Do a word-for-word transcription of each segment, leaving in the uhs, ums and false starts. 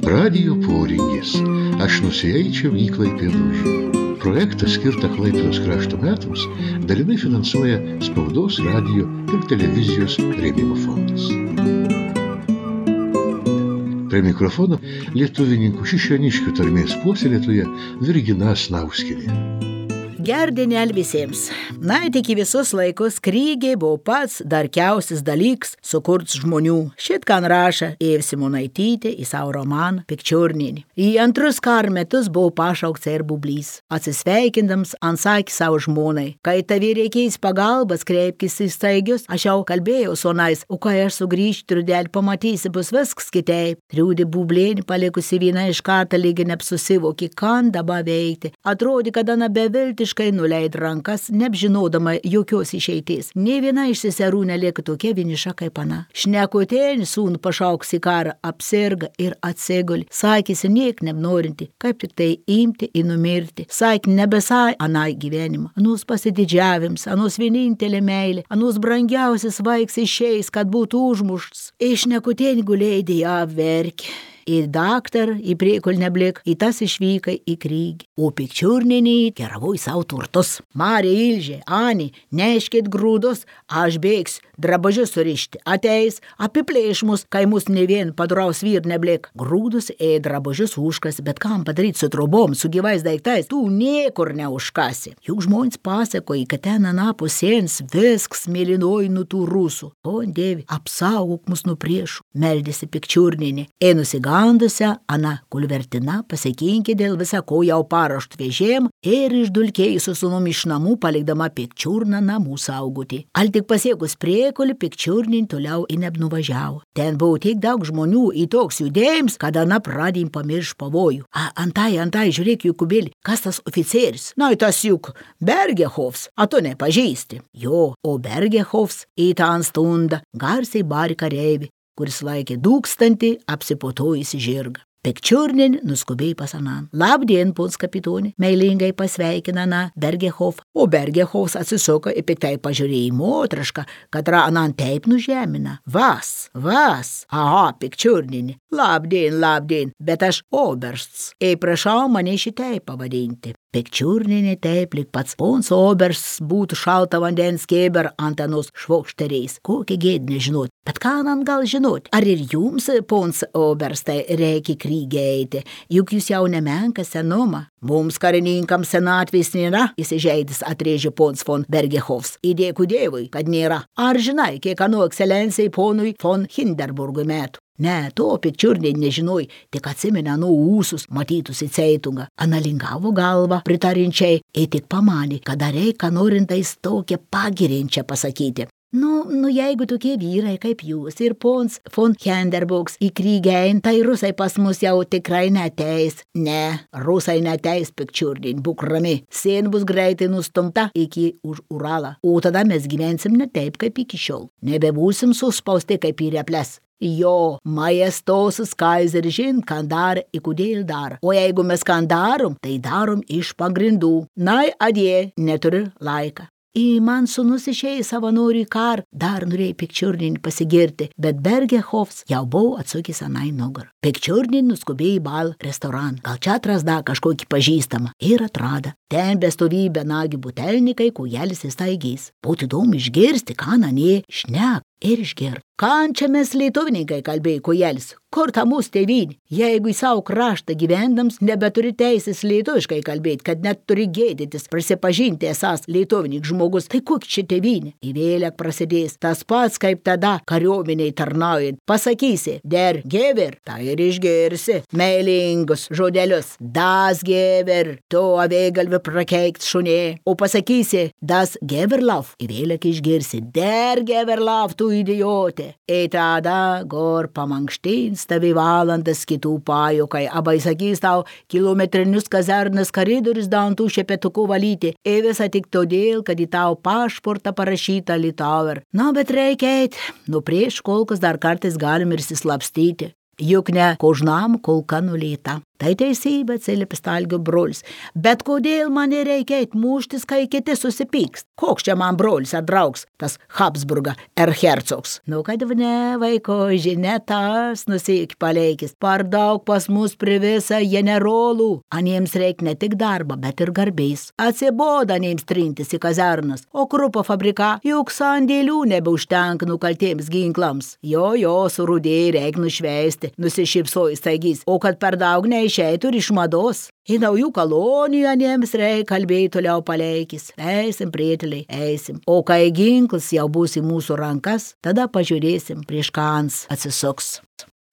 Radijo poringis. Aš nusieičiau į Klaipėdą. Projektą skirtą Klaipėdos krašto metams dalinai finansuoja Spaudos, radijo ir televizijos rėmimo fondas. Prie mikrofono lietuvininkų Šišioniškių tarmės puoselėtoja Virgina Snauskienė. Gerdienel visiems. Na, tik į visus laikus krygiai buvo pats darkiausias dalyks sukurts žmonių. Šit kan raša Ėv Simonaitytė į savo romaną Pikčiurninį. Į antrus karo metus buvo pašaukts ir Bublys. Atsisveikindams ansakė savo žmonai. Kai tavi reikės pagalbas, kreipkis į staigius, aš jau kalbėjau su onais, o kai aš sugrįžti, trudėl pamatysi, bus viskas kitaip. Triūdė Bublėnį palikusi vieną iš kartą lygi neapsusivokė, kan dabar veikti. Atrodė, kad ana beviltiškai nuleid rankas, neapžinodama jokios išeities. Nė viena iš seserų nelieka tokia vieniša kaip ana. Šnekutėlį sūnų pašauks į karą, apsirga ir atsiguli. Sakėsi niek nebnorinti, kaip tik tai imti ir numirti. Sakė nebesai anai gyvenimą. Anus pasididžiavims, anus vienintelė meilė, anus brangiausias vaiks išeis, kad būtų užmušts. Iš šnekutėlį gulėdė ją verkė. Į daktarą, į priekulnę blik, į tas išvykai į krygį. O Pikčiurninį keravoj savo turtus. Marė Ilžė, Ani, neškit grūdus, aš bėgsiu, drabažius surišti. Ateis, apiplėš mus, kai mus ne vien padraus vyr neblik. Grūdus ė drabažius užkasi, bet kam padaryti su trobom, su gyvais daiktais, tu niekur neužkasi. Juk žmonės pasakoja, kad ten anapus sienos viskas mėlynoj nuo tų rusų. O, Dievi, apsaugok mus nuo priešų, meldėsi Pikčiurninį. Ėnusi gandusią, ana kulvertina pasikinkė dėl visa ko jau parašt vežėm ir išdulkėjus su sūnum iš namų, palikdama Pikčiurną namų saugoti. Al tik pasiekus priekulį, Pikčiurnin toliau į nebnuvažiavo. Ten buvo tiek daug žmonių į toks judėjams, kad ana pradėjim pamirš pavojų. A, antai, antai, žiūrėk, Jukubėlį, kas tas oficieris? Na, tas juk Bergehofs, a tu nepažįsti. Jo, o Bergehofs į tą stundą garsiai barė kareivį, kuris laikė dūkstantį apsiputojusį žirgą. Pikčiurnin nuskubėjo pas anan. Labdien, pons kapitonė, meilingai pasveikina ana Bergehofą. O Bergehofas atsisuko ir piktai pažiūrėjo į motrašką, kad anan taip nužemina. Vas, vas, aha, Pikčiurninį. Labdien, labdien, bet aš obersts. Ei, prašau mane šitai pavadinti. Pikčiurninė taip, lyg pats pons obersts būtų šalta vandens kėber ant anos švokšteriais. Kokia gėd nežinot. Bet ką man gal žinot? Ar ir jums, pons oberstai, reikia krygį eiti? Juk jūs jau nemenka senumą. Mums karininkams senatvės nėra, įsižeidis atrėžė pons von Bergehofs. Įdėkų Dievui, kad nėra. Ar žinai, kiek anu ekscelencijai ponui von Hindenburgui metų? Ne, to Pikčiurnin nežinoj, tik atsimena nuo ūsus matytus į ceitungą. Analingavo galvą pritarinčiai ir tik pamanė, kad reikia norintais tokią pagirinčią pasakyti. Nu, nu, jeigu tokie vyrai kaip jūs ir pons von Hindenburgs į krygį ein, tai rusai pas mus jau tikrai neteis. Ne, rusai neteis, Pikčiurnin, būk rami. Sien bus greitai nustumta iki už Uralą. O tada mes gyvensim ne taip kaip iki šiol. Nebebūsim suspausti kaip į reples. Jo, majestosus kaiseris žin, ką dar ir kodėl dar. O jeigu mes ką darom, tai darom iš pagrindų. Na, adie, neturi laiką. Į man sūnus išėjo savanorių į karą, dar norėjo Pikčiurnin pasigirti, bet Bergehofs jau buvo atsukęs anai nugarą. Pikčiurnin nuskubėjo į bal restoraną, gal čia atrasda kažkokį pažįstamą ir atrada. Ten bestovybė nagi butelnikai, kujelis įstaigys. Būtų įdomu išgirsti, ką nanie šnek ir išgirti. Kan čia mes lietuvininkai, kalbėjo kujelis, kur ta mūsų tėvynė? Jeigu į savo kraštą gyvendams nebeturi teisės lietuviškai kalbėti, kad net turi gėdytis, prisipažinti esas lietuvinik žmogus, tai kokia čia tėvynė? Įvėlek prasidės tas pats kaip tada kariuomeniai tarnaujant. Pasakysi, der gever, tai ir išgirsi meilingus žodelius. Das gever, to avėgalvi prakeikt šunė. O pasakysi, das geverlauf, įvėlek išgirsi, der geverlauf, tu idiotė. Ir tada gor pamankštins tavi valandas kitų pajukai, abai sakys tau kilometrinius kazarnas koridorius dantų šepetuku valyti, ir visą tik todėl, kad į tau pašportą parašyta Litauer. Na, bet reikia eit, nu prieš kolkas dar kartais galim ir sislapstyti. Juk ne kožnam kolka nulėta. Tai teisybė, atsiliepė Stalgio brolis. Bet kodėl man nereikia eit muštis, kai kiti susipykst? Koks čia man brolis ar draugs, tas Habsburga erhercogs? Nu, kad ne, vaiko, žinia tas, nusik paleikis. Par daug pas mus privisa generolų. Aniems reik ne tik darba, bet ir garbės. Atsiboda aniems trintis į kazarnas, o krupo fabrika juk sandėlių nebeužtenka nukaltiems ginklams. Jo, jo, surudėjai reik nušveisti, nusišypsojo staigys, o kad per daug neišeitų ir iš mados. Į naujų kolonijų aniems reik kalbėjai toliau paleikis. Eisim, prieteliai, eisim. O kai ginklas jau bus į mūsų rankas, tada pažiūrėsim, prieš ką ans atsisuks.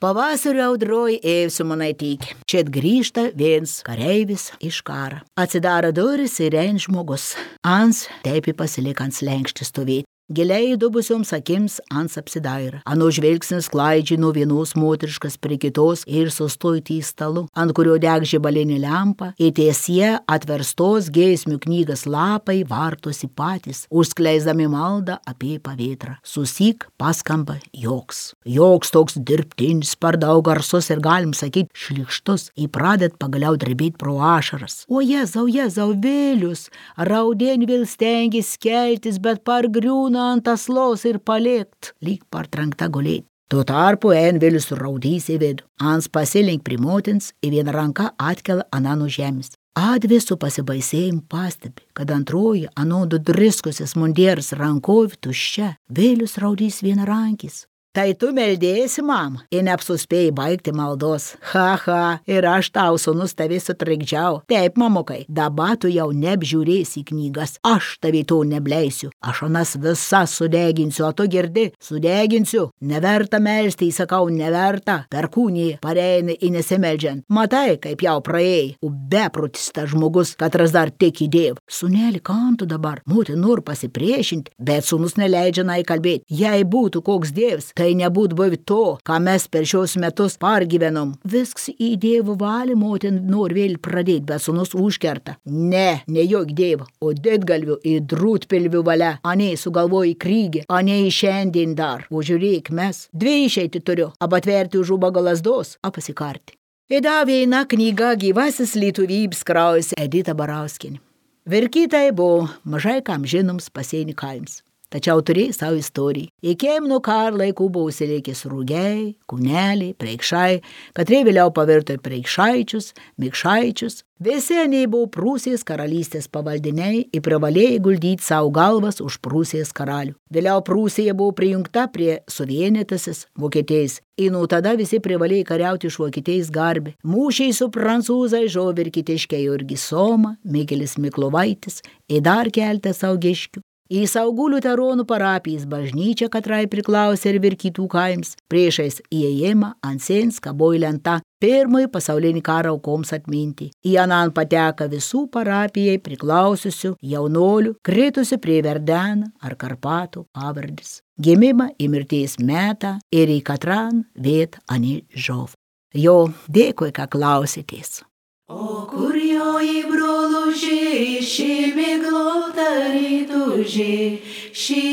Pavasario audroj ėjusi Monaitytė. Čia grįžta viens kareivis iš karą. Atsidaro duris ir ein žmogus. Ans teipi pasilik ant slenkštį stovėti. Giliai dubusioms akims ans apsidaira. Ano žvilgsnis klaidžiai nuo vienos moteriškas prie kitos ir sustojo ties stalu, ant kurio deg žibalinė lempa, ir tiesie atverstos giesmių knygas lapai vartosi patys, užskleisdami maldą apie pavėtrą. Susik paskamba joks. Joks toks dirbtinis, per daug garsus ir galim sakyti šlikštus, įpradet pagaliau drebėti pro ašaras. O jezau, jezau, Vilius, raudien vėl stengis keltis, bet pargriūna ant aslos ir palikt, lyg partrenkta gulėti. Tuo tarpu ein Vilius raudys į vidų. Ans pasilink prie motins, į vieną ranką atkelia aną nuo žemės. Advi su pasibaisėjimu pastebi, kad antroji anodų driskusis mundieras rankovi tuščia. Vilius raudys vienarankis. Tai tu meldėsi, mam, ir neapsuspėjai baigti maldos. Ha, ha, ir aš tau, sūnus, tavį sutrikdžiau. Taip, mamukai, dabar tu jau neapžiūrėsi knygas. Aš tavį to nebleisiu. Aš anas visas sudeginsiu, o tu girdi, sudeginsiu. Neverta melsti, įsakau, neverta. Perkūnį pareini į nesimeldžiant. Matai, kaip jau praėjai. O beprotis tas žmogus, katras dar tik įdėv. Sūneli, kam tu dabar? Motin nori pasipriešinti, bet sūnus neleidžia nai kalbėti. Jei būtų koks dievs, tai nebūt buvę to, ką mes per šios metus pargyvenom. Visks į Dievo valį motin nori vėl pradėti, bet sūnus užkerta. Ne, ne jok Dievo, o didgalvių ir drūtpilvių valia. Anei sugalvoji krygį, anei šiandien dar. O žiūrėk, mes dvi išeiti turiu, abatverti už ubago lasdos, apasikarti. Įda viena knyga Gyvasis lietuvybės kraujas Edita Barauskienė. Verkytai buvo mažai kam žinoms pasienį kaims. Tačiau turėjo savo istoriją. Iki nuo karo laikų buvo užsilikęs rūgiai, kūneliai, preikšai, katrie vėliau pavirto į preikšaičius, mikšaičius. Visi aniai buvo Prūsijos karalystės pavaldiniai ir privalėjo guldyti savo galvas už Prūsijos karalių. Vėliau Prūsija buvo prijungta prie suvienytasis Vokietijos. Ir nuo tada visi privalėjo kariauti iš Vokietijos garbę. Mūšiai su prancūzai žuvo verkitiškiai Jurgis Soma, Mikelis Miklovaitis ir dar keltas saugiškių. Į Saugulių Teronų parapijos bažnyčią katrai priklausė ir Verkytų kaims. Priešais įėjimą ant sienos kabojo lenta pirmojo pasaulinį karą aukoms atminti. Į anan pateka visų parapijai priklausiusių jaunolių, kritusių prie Verdeną ar Karpatų pavardės. Gimimą į mirties metą ir į katran viet ani žov. Jo, dėkui, ką klausėtės. O kur joji broluži, šį miglotą rytuži, šį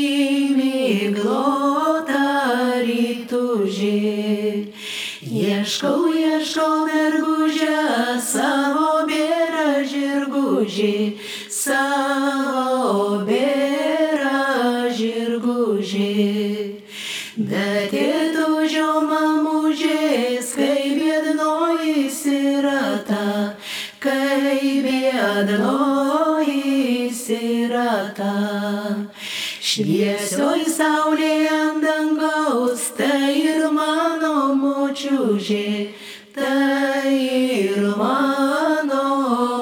miglotą rytuži. Ieškau, ieškau mergužę, savo bėrą žirgužį, savo bėrą žirgužį. Bet įtužio mamužės, kai biednoji sirata, kai biednoji sirata. Šviesioj saulė ant dangaus, tai ir mano močiužė, tai ir mano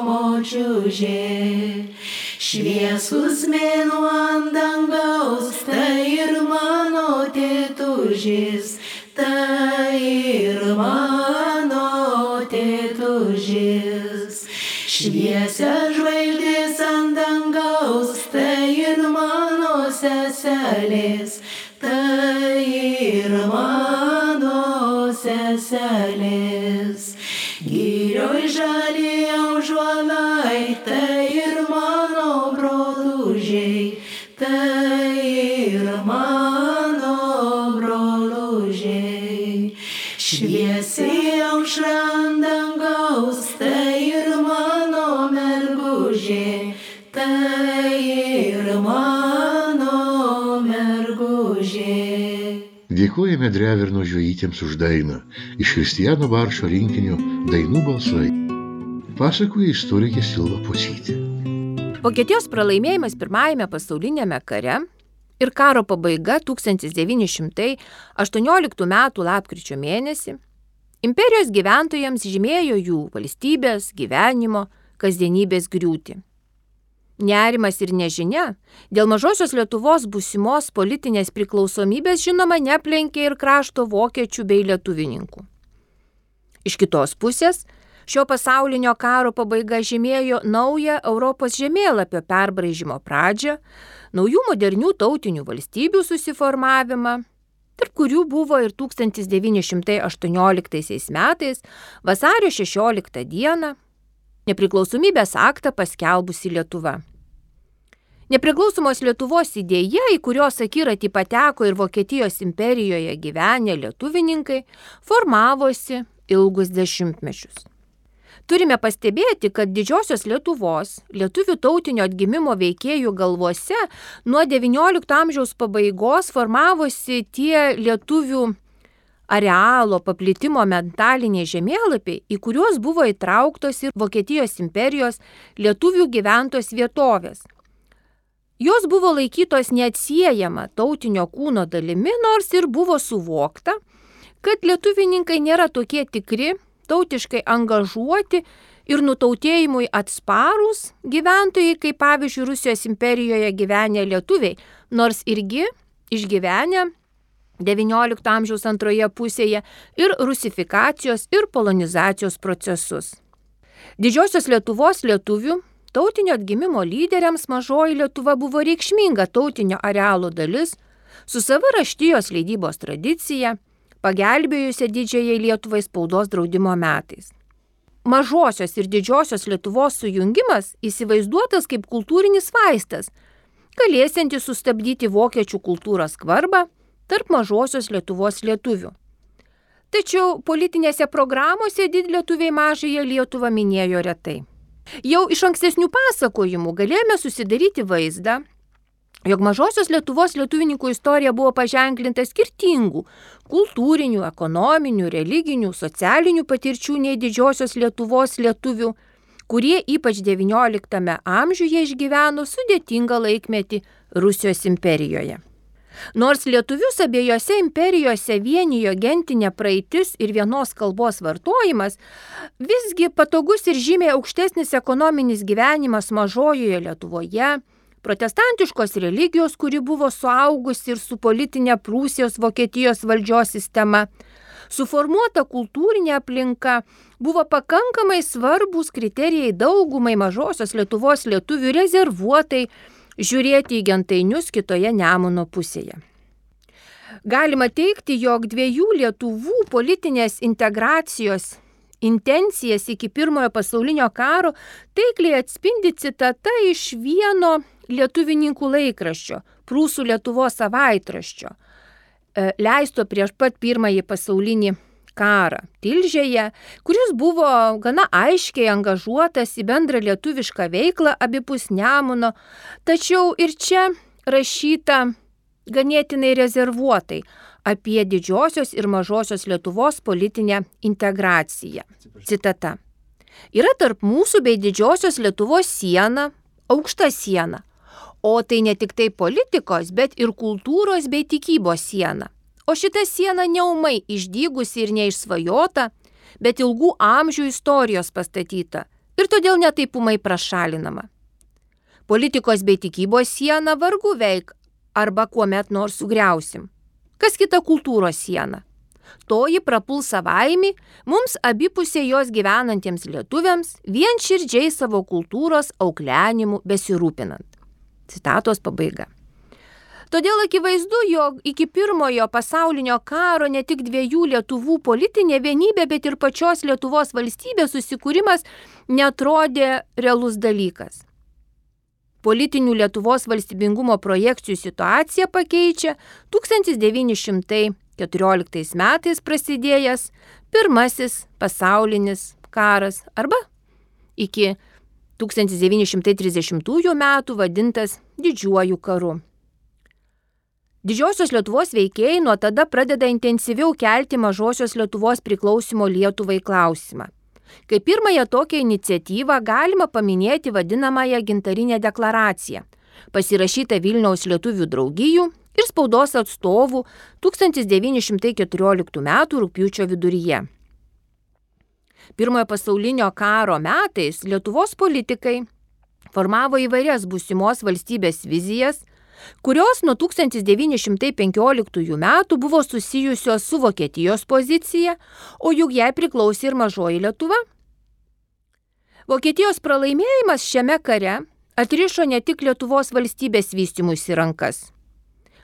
močiužė. Šviesus mėnuo ant dangaus, tai ir mano tėtužis, tai ir mano tėtužis. Šviesia žvaigždės ant dangaus, tai ir mano seselės, tai ir mano seselės. Girioj žali aužuolai, tai ir mano brolužiai, tai ir mano brolužiai. Šviesiai aušra ant dangaus, Jėzaus, tai ir mano mergužė, tai ir mano mergužė. Dėkojame Dreverno žvejytėms už dainą iš Kristijano Barčo rinkinio Dainų balsai. Pasakoja istorikė Silva Pocytė. Vokietijos pralaimėjimas pirmajame pasaulinėme kare ir karo pabaiga tūkstantis devyni šimtai aštuonioliktų metų lapkričio mėnesį imperijos gyventojams žymėjo jų valstybės, gyvenimo, kasdienybės griūtį. Nerimas ir nežinia dėl mažosios Lietuvos būsimos politinės priklausomybės žinoma neplenkė ir krašto vokiečių bei lietuvininkų. Iš kitos pusės, šio pasaulinio karo pabaiga žymėjo naują Europos žemėlapio perbraižymo pradžią, naujų modernių tautinių valstybių susiformavimą, tarp kurių buvo ir tūkstantis devyni šimtai aštuonioliktaisiais metais vasario šešioliktą dieną nepriklausomybės aktą paskelbusi Lietuva. Nepriklausomos Lietuvos idėja, į kurios akiratį pateko ir Vokietijos imperijoje gyvenę lietuvininkai, formavosi ilgus dešimtmečius. Turime pastebėti, kad didžiosios Lietuvos, lietuvių tautinio atgimimo veikėjų galvose nuo devyniolikto amžiaus pabaigos formavosi tie lietuvių arealo paplitimo mentaliniai žemėlapiai, į kuriuos buvo įtrauktos ir Vokietijos imperijos lietuvių gyventos vietovės. Jos buvo laikytos neatsiejama tautinio kūno dalimi, nors ir buvo suvokta, kad lietuvininkai nėra tokie tikri, tautiškai angažuoti ir nutautėjimui atsparūs gyventojai, kaip pavyzdžiui Rusijos imperijoje gyvenę lietuviai, nors irgi išgyvenę devyniolikto amžiaus antroje pusėje ir rusifikacijos ir polonizacijos procesus. Didžiosios Lietuvos lietuvių tautinio atgimimo lyderiams mažoji Lietuva buvo reikšminga tautinio arealo dalis, su sava raštijos leidybos tradicija, pagelbėjusia didžiajai Lietuvai spaudos draudimo metais. Mažosios ir didžiosios Lietuvos sujungimas įsivaizduotas kaip kultūrinis vaistas, galėsiantis sustabdyti vokiečių kultūros skvarbą tarp mažosios Lietuvos lietuvių. Tačiau politinėse programuose didlietuviai mažąją Lietuvą minėjo retai. Jau iš ankstesnių pasakojimų galėjome susidaryti vaizdą, jog mažosios Lietuvos lietuvininkų istorija buvo paženklinta skirtingų kultūrinių, ekonominių, religinių, socialinių patirčių nei didžiosios Lietuvos lietuvių, kurie ypač devynioliktame amžiuje išgyveno sudėtingą laikmetį Rusijos imperijoje. Nors lietuvius abiejose imperijose vienijo gentinė praeitis ir vienos kalbos vartojimas, visgi patogus ir žymiai aukštesnis ekonominis gyvenimas mažojoje Lietuvoje, protestantiškos religijos, kuri buvo suaugusi ir su politinė Prūsijos Vokietijos valdžios sistema, suformuota kultūrinė aplinka, buvo pakankamai svarbus kriterijai daugumai mažosios Lietuvos lietuvių rezervuotai žiūrėti į gentainius kitoje Nemuno pusėje. Galima teigti, jog dviejų Lietuvų politinės integracijos intencijas iki pirmojo pasaulinio karo taikliai atspindi citata iš vieno lietuvininkų laikraščio, Prūsų Lietuvos savaitraščio, leisto prieš pat pirmąjį pasaulinį karą Tilžėje, kuris buvo gana aiškiai angažuotas į bendrą lietuvišką veiklą abipus Nemuno, tačiau ir čia rašyta ganėtinai rezervuotai apie didžiosios ir mažosios Lietuvos politinę integraciją. Citata. Yra tarp mūsų bei didžiosios Lietuvos siena, aukšta siena, o tai ne tik tai politikos, bet ir kultūros bei tikybos siena. O šita siena neumai išdygusi ir neišsvajota, bet ilgų amžių istorijos pastatyta ir todėl netaipumai prašalinama. Politikos bei tikybos siena vargu veik arba kuomet nors sugriausim. Kas kita kultūros siena? Toji prapuls savaimi mums abipusė jos gyvenantiems lietuviams vien širdžiai savo kultūros auklenimu besirūpinant. Citatos pabaiga. Todėl akivaizdu, jog iki pirmojo pasaulinio karo ne tik dviejų Lietuvų politinė vienybė, bet ir pačios Lietuvos valstybės susikūrimas neatrodė realus dalykas. Politinių Lietuvos valstybingumo projekcijų situaciją pakeičia tūkstantis devyni šimtai keturioliktais metais prasidėjęs pirmasis pasaulinis karas arba iki tūkstantis devyni šimtai trisdešimtųjų metų vadintas Didžiuoju karu. Didžiosios Lietuvos veikėjai nuo tada pradeda intensyviau kelti Mažosios Lietuvos priklausimo Lietuvai klausimą. Kaip pirmąją tokią iniciatyvą galima paminėti vadinamąją Gintarinę deklaraciją, pasirašytą Vilniaus lietuvių draugijų ir spaudos atstovų tūkstantis devyni šimtai keturioliktų metų rugpjūčio viduryje. Pirmojo pasaulinio karo metais Lietuvos politikai formavo įvairias būsimos valstybės vizijas, kurios nuo tūkstantis devyni šimtai penkioliktųjų metų buvo susijusios su Vokietijos pozicija, o juk jai priklausė ir Mažoji Lietuva. Vokietijos pralaimėjimas šiame kare atrišo ne tik Lietuvos valstybės vystymuisi rankas.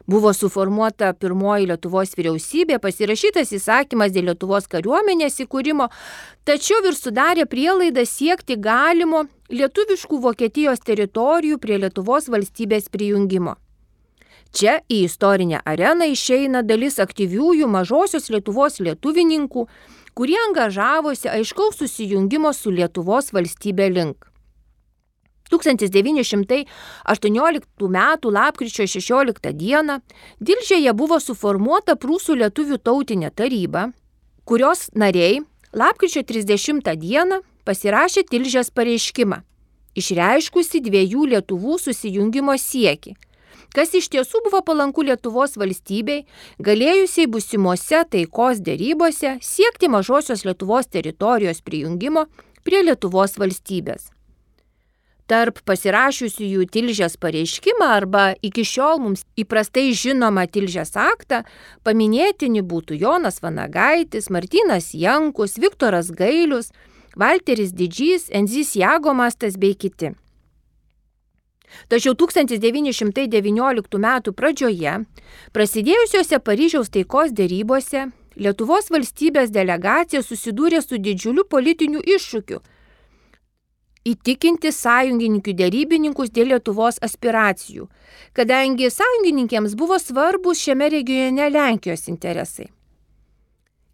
Buvo suformuota pirmoji Lietuvos vyriausybė, pasirašytas įsakymas dėl Lietuvos kariuomenės įkūrimo, tačiau ir sudarė prielaidą siekti galimo lietuviškų Vokietijos teritorijų prie Lietuvos valstybės prijungimo. Čia į istorinę areną išeina dalis aktyviųjų Mažosios Lietuvos lietuvininkų, kurie angažavosi aiškaus susijungimo su Lietuvos valstybė link. tūkstantis devyni šimtai aštuonioliktų metų lapkričio šešioliktą dieną Dilžėje buvo suformuota Prūsų lietuvių tautinė taryba, kurios nariai lapkričio trisdešimtą dieną pasirašė Tilžės pareiškimą, išreiškusi dviejų Lietuvų susijungimo siekį, kas iš tiesų buvo palanku Lietuvos valstybei, galėjusiai būsimose taikos derybose siekti Mažosios Lietuvos teritorijos prijungimo prie Lietuvos valstybės. Tarp pasirašiusiųjų Tilžės pareiškimą arba iki šiol mums įprastai žinoma Tilžės aktą paminėtini būtų Jonas Vanagaitis, Martynas Jankus, Viktoras Gailius, Valteris Didžys, Enzys Jagomastas bei kiti. Tačiau tūkstantis devyni šimtai devynioliktų metų pradžioje, prasidėjusiuose Paryžiaus taikos derybose, Lietuvos valstybės delegacija susidūrė su didžiuliu politiniu iššūkiu – įtikinti sąjungininkų derybininkus dėl Lietuvos aspiracijų, kadangi sąjungininkėms buvo svarbus šiame regione Lenkijos interesai.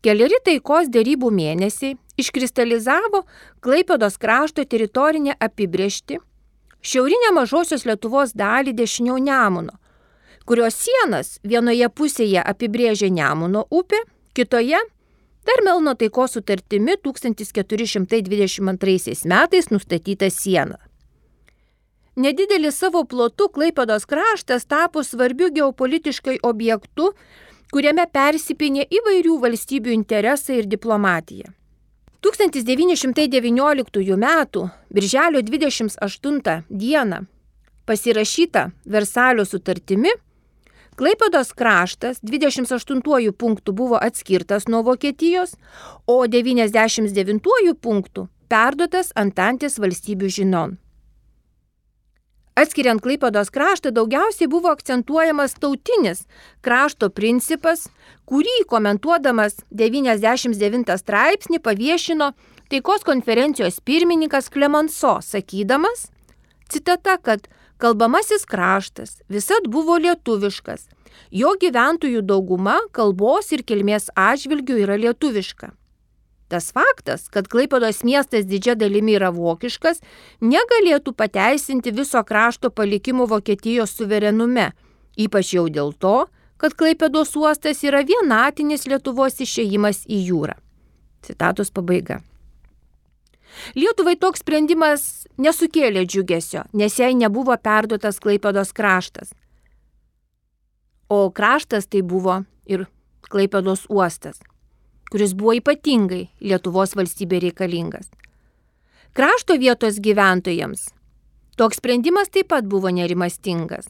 Keleri taikos derybų mėnesiai iškristalizavo Klaipėdos krašto teritorinę apibrėžtį, šiaurinę Mažosios Lietuvos dalį dešiniau Nemuno, kurios sienas vienoje pusėje apibrėžė Nemuno upė, kitoje dar Melno taikos sutartimi tūkstantis keturi šimtai dvidešimt antraisiais metais nustatyta siena. Nedidelis savo plotu Klaipėdos kraštas tapo svarbiu geopolitiškai objektu, kuriame persipynė įvairių valstybių interesai ir diplomatija. tūkstantis devyni šimtai devynioliktųjų metų birželio dvidešimt aštuntą dieną pasirašyta Versalio sutartimi, Klaipėdos kraštas dvidešimt aštuntuoju punktu buvo atskirtas nuo Vokietijos, o devyniasdešimt devintuoju punktu perduotas Antantės valstybių žinion. Atskiriant Klaipėdos kraštą daugiausiai buvo akcentuojamas tautinis krašto principas, kurį komentuodamas devyniasdešimt devintą straipsnį paviešino taikos konferencijos pirmininkas Klemanso, sakydamas, citata, kad kalbamasis kraštas visad buvo lietuviškas, jo gyventojų dauguma kalbos ir kilmės atžvilgių yra lietuviška. Tas faktas, kad Klaipėdos miestas didžia dalimi yra vokiškas, negalėtų pateisinti viso krašto palikimo Vokietijos suverenume, ypač jau dėl to, kad Klaipėdos uostas yra vienatinis Lietuvos išėjimas į jūrą. Citatos pabaiga. Lietuvai toks sprendimas nesukėlė džiugesio, nes jai nebuvo perduotas Klaipėdos kraštas. O kraštas tai buvo ir Klaipėdos uostas, kuris buvo ypatingai Lietuvos valstybė reikalingas. Krašto vietos gyventojams toks sprendimas taip pat buvo nerimastingas.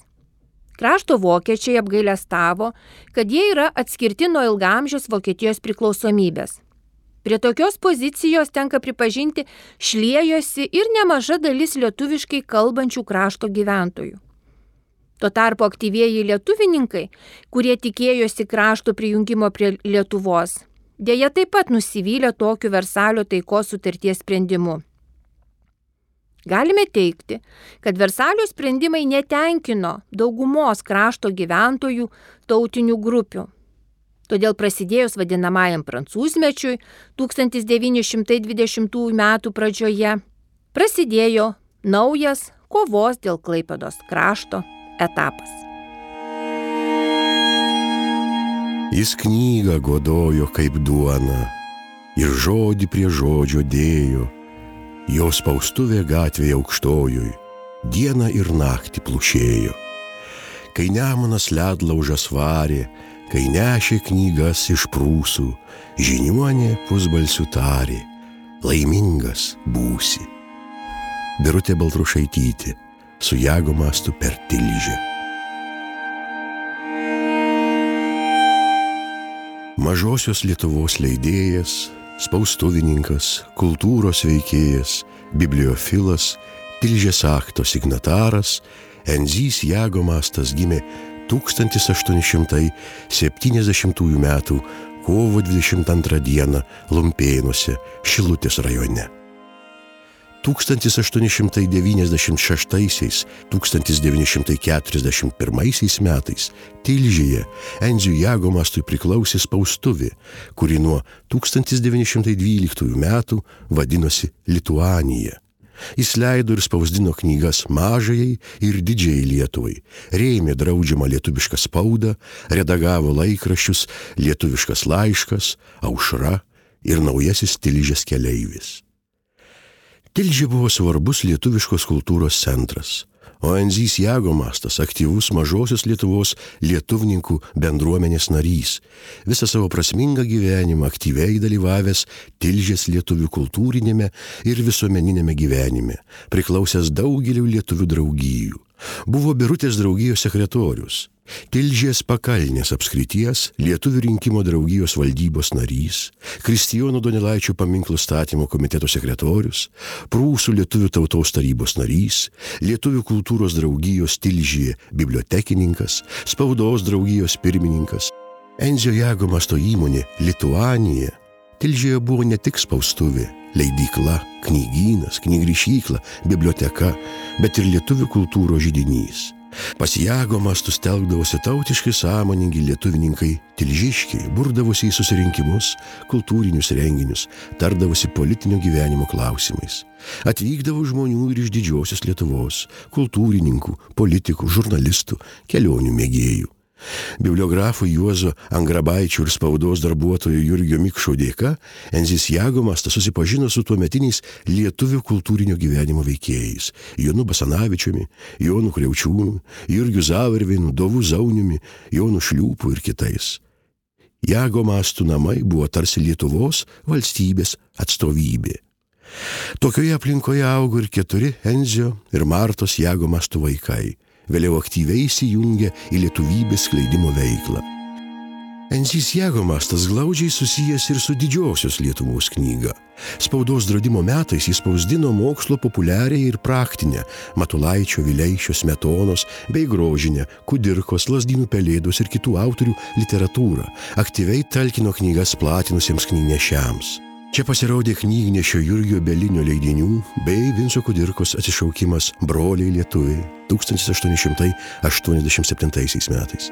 Krašto vokiečiai apgailestavo, kad jie yra atskirti nuo ilgaamžės Vokietijos priklausomybės. Prie tokios pozicijos tenka pripažinti šliejosi ir nemaža dalis lietuviškai kalbančių krašto gyventojų. Tuo tarpu aktyvieji lietuvininkai, kurie tikėjosi krašto prijungimo prie Lietuvos, dėja taip pat nusivylė tokiu Versalio taikos sutarties sprendimu. Galime teigti, kad Versalio sprendimai netenkino daugumos krašto gyventojų tautinių grupių. Todėl prasidėjus vadinamajam prancūzmečiui tūkstantis devyni šimtai dvidešimtųjų metų pradžioje prasidėjo naujas kovos dėl Klaipėdos krašto etapas. Jis knygą godojo kaip duona ir žodį prie žodžio dėjo, jo spaustuvė gatvėje aukštojoj dieną ir naktį plušėjo. Kai Nemunas ledlaužas varė, kai nešė knygas iš Prūsų, žiniuonė pusbalsiu tarė, laimingas būsi. Birutė Baltrušaitytė su Jagomastu per Tilžę. Mažosios Lietuvos leidėjas, spaustuvininkas, kultūros veikėjas, bibliofilas, Tilžės akto signataras Enzys Jagomastas gimė tūkstantis aštuoni šimtai septyniasdešimtųjų metų kovo dvidešimt antrą dieną Lumpėnuose, Šilutės rajone. tūkstantis aštuoni šimtai devyniasdešimt šeštaisiais - tūkstantis devyni šimtai keturiasdešimt pirmaisiais metais Tilžėje Enziui Jagomastui priklausė spaustuvė, kuri nuo tūkstantis devyni šimtai dvyliktųjų metų vadinosi Lituanija. Jis leido ir spausdino knygas mažajai ir didžiai Lietuvai, rėmė draudžiamą lietuvišką spaudą, redagavo laikraščius Lietuviškas laiškas, Aušra ir Naujasis Tilžės keleivis. Tilžė buvo svarbus lietuviškos kultūros centras, o Enzys Jagomastas aktyvus Mažosios Lietuvos lietuvininkų bendruomenės narys, visą savo prasmingą gyvenimą aktyviai dalyvavęs Tilžės lietuvių kultūrinėme ir visuomeninėme gyvenime, priklausęs daugeliu lietuvių draugijų. Buvo Birutės draugijos sekretorius, Tilžės pakalnės apskrities lietuvių rinkimo draugijos valdybos narys, Kristijono Donelaičio paminklų statymo komiteto sekretorius, Prūsų lietuvių tautos tarybos narys, Lietuvių kultūros draugijos Tilžėje bibliotekininkas, spaudos draugijos pirmininkas. Enzio Jagomasto įmonė Lituanija Tilžėje buvo ne tik spaustuvė, leidykla, knygynas, knygrišykla, biblioteka, bet ir lietuvių kultūros židinys. Pas Jagomastus telkdavosi tautiškai sąmoningi lietuvininkai tilžiškiai, burdavosi į susirinkimus, kultūrinius renginius, tardavosi politinio gyvenimo klausimais. Atvykdavo žmonių ir iš didžiosios Lietuvos, kultūrininkų, politikų, žurnalistų, kelionių mėgėjų. Bibliografų Juozo Angrabaičio ir spaudos darbuotojo Jurgio Mikšo dėka Enzys Jagomastas susipažino su tuometiniais lietuvių kultūrinio gyvenimo veikėjais – Jonu Basanavičiumi, Jonu Kriaučiūnu, Jurgiu Zavarvinu, Dovu Zauniumi, Jonu Šliūpu ir kitais. Jagomastų namai buvo tarsi Lietuvos valstybės atstovybė. Tokioje aplinkoje augo ir keturi Enzio ir Martos Jagomastų vaikai. Vėliau aktyviai įsijungė į lietuvybės skleidimo veiklą. Enzys Jagomastas glaudžiai susijęs ir su Didžiosios Lietuvos knyga. Spaudos draudimo metais jis spausdino mokslo populiarią ir praktinę Matulaičio, Vileišio, Smetonos bei grožinę Kudirkos, Lazdynų Pelėdos ir kitų autorių literatūrą, aktyviai talkino knygas platinusiems knygnešiams. Čia pasirodė knygnešio Jurgio Belinio leidinių bei Vinco Kudirkos atsišaukimas Broliai lietuviai tūkstantis aštuoni šimtai aštuoniasdešimt septintaisiais metais.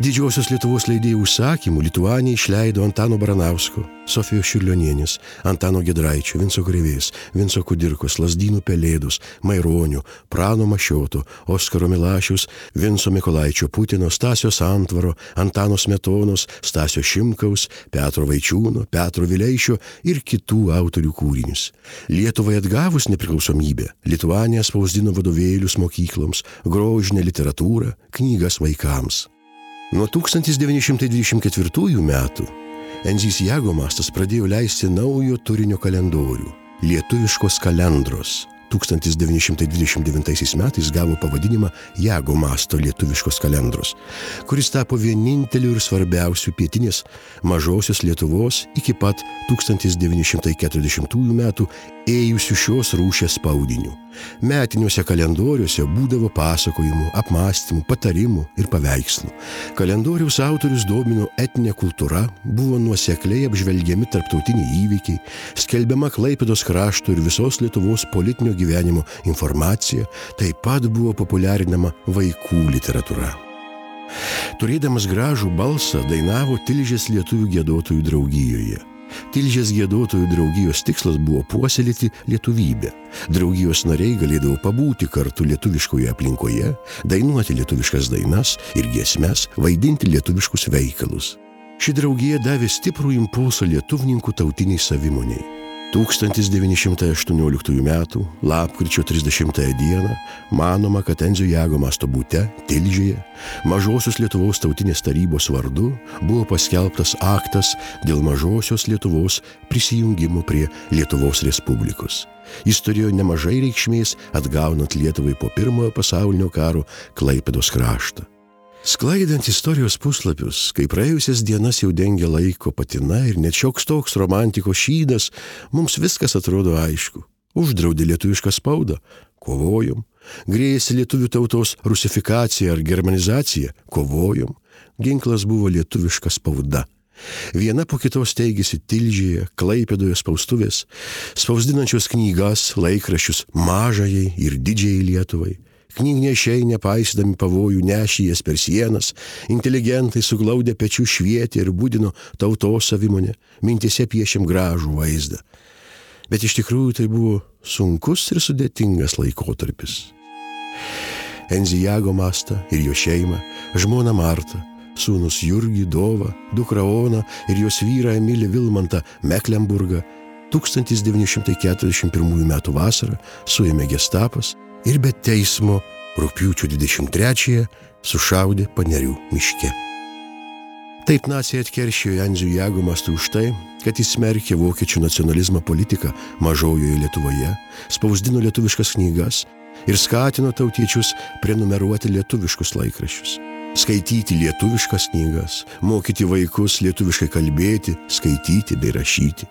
Didžiosios Lietuvos leidėjų užsakymų Lituanija išleido Antano Baranausko, Sofijos Čiurlionienės, Antano Giedraičio, Vinco Krėvės, Vinco Kudirkos, Lazdynų Pelėdos, Maironio, Prano Mašioto, Oskaro Milašiaus, Vinco Mykolaičio Putino, Stasio Santvaro, Antano Smetonos, Stasio Šimkaus, Petro Vaičiūno, Petro Vileišio ir kitų autorių kūrinius. Lietuvai atgavus nepriklausomybę, Lituanija spausdino vadovėlius mokykloms, grožinę literatūrą, knygas vaikams. Nuo tūkstantis devyni šimtai dvidešimt ketvirtųjų metų Enzys Jagomastas pradėjo leisti naujo turinio kalendorių – Lietuviškos kalendros. tūkstantis devyni šimtai dvidešimt devintaisiais metais gavo pavadinimą Jagomasto Lietuviškos kalendros, kuris tapo vieninteliu ir svarbiausiu pietinės Mažosios Lietuvos iki pat tūkstantis devyni šimtai keturiasdešimtųjų metų ėjusių šios rūšies spaudiniu. Metiniuose kalendoriuose būdavo pasakojimų, apmąstymų, patarimų ir paveikslų. Kalendoriaus autorius domino etninė kultūra, buvo nuosekliai apžvelgiami tarptautiniai įvykiai, skelbiama Klaipėdos krašto ir visos Lietuvos politinio gyvenimo informacija, taip pat buvo populiarinama vaikų literatūra. Turėdamas gražų balsą dainavo Tilžės lietuvių giedotojų draugijoje. Tilžės giedotojų draugijos tikslas buvo puoselėti lietuvybę. Draugijos nariai galėdavo pabūti kartu lietuviškoje aplinkoje, dainuoti lietuviškas dainas ir giesmes, vaidinti lietuviškus veikalus. Ši draugija davė stiprų impulsą lietuvininkų tautiniai savimoniai. tūkstantis devyni šimtai aštuonioliktųjų metų lapkričio trisdešimtąją dieną manoma, kad Enzio Jago Masto bute Tilžėje Mažosios Lietuvos tautinės tarybos vardu buvo paskelbtas aktas dėl Mažosios Lietuvos prisijungimo prie Lietuvos Respublikos. Jis turėjo nemažai reikšmės atgaunant Lietuvai po pirmojo pasaulinio karo Klaipėdos kraštą. Sklaidant istorijos puslapius, kai praėjusias dienas jau dengia laiko patina ir net šioks toks romantikos šydas, mums viskas atrodo aišku. Uždraudė lietuvišką spaudą – kovojom. Grėjėsi lietuvių tautos rusifikacija ar germanizacija – kovojom. Ginklas buvo lietuviška spauda. Viena po kitos teigėsi Tilžėje, Klaipėdoje spaustuvės, spausdinančios knygas, laikraščius mažajai ir didžiai Lietuvai. Knygnešiai, nepaisydami pavojų, nešė jas per sienas, inteligentai suglaudę pečių švietė ir būdino tautos savimonę, mintise piešėm gražų vaizdą. Bet iš tikrųjų tai buvo sunkus ir sudėtingas laikotarpis. Enzį Jago Mastą ir jo šeimą, žmoną Martą, sūnus Jurgį, Dovą, dukrą Oną ir jos vyrą Emilį Vilmantą Meklenburgą tūkstantis devyni šimtai keturiasdešimt pirmųjų metų vasarą suėmė gestapas ir be teismo rugpjūčio dvidešimt trečiąją sušaudė Panerių miške. Taip naciai atkeršijo Enziui Jago Mastui už tai, kad jis smerkė vokiečių nacionalizmo politiką Mažojoje Lietuvoje, spausdino lietuviškas knygas ir skatino tautiečius prenumeruoti lietuviškus laikraščius, skaityti lietuviškas knygas, mokyti vaikus lietuviškai kalbėti, skaityti bei rašyti.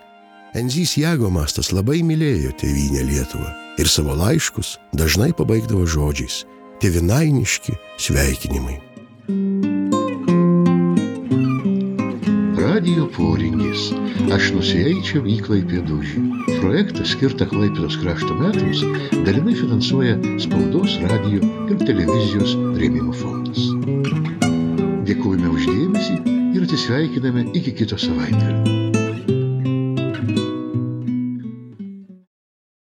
Enzys Jago Mastas labai mylėjo tėvynę Lietuvą ir savo laiškus dažnai pabaigdavo žodžiais – tėvynainiški sveikinimai. Radijo poringis. Aš nusieičiau į Klaipėdūžį. Projektą skirtą Klaipėdos krašto metams dalinai finansuoja Spaudos, radijo ir televizijos rėmimo fondas. Dėkojame už dėmesį ir atsisveikiname iki kito savaitgalio.